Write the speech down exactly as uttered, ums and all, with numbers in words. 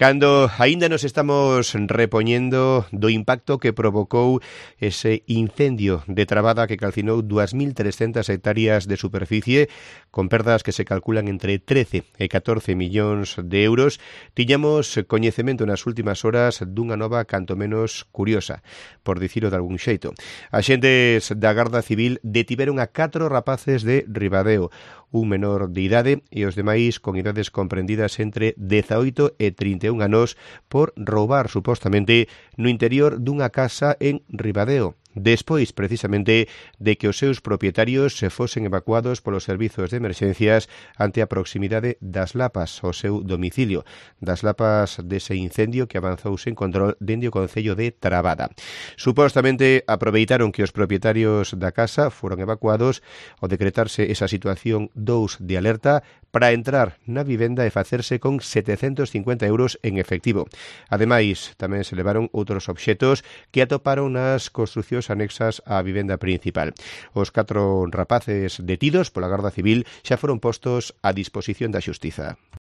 Cando aínda nos estamos repoñendo do impacto que provocou ese incendio de Trabada que calcinou dúas mil trescentas hectáreas de superficie, con perdas que se calculan entre trece e catorce millóns de euros, tiñamos coñecemento nas últimas horas dunha nova canto menos curiosa, por dicilo de algún xeito. Axentes da Garda Civil detiveron a catro rapaces de Ribadeo, un menor de idade e os demais con idades comprendidas entre dezaoito e trinta e un anos por roubar supostamente no interior dunha casa en Ribadeo, despois precisamente de que os seus propietarios se fosen evacuados polos servizos de emerxencias ante a proximidade das lapas ao seu domicilio, das lapas dese incendio que avanzou sen control dende o concello de Trabada. Supostamente aproveitaron que os propietarios da casa foron evacuados ao decretarse esa situación dous de alerta para entrar na vivenda e facerse con setecentos cincuenta euros en efectivo. Ademais, tamén se levaron outros obxetos que atoparon nas construcións anexas á vivenda principal. Os catro rapaces detidos pola Garda Civil xa foron postos a disposición da xustiza.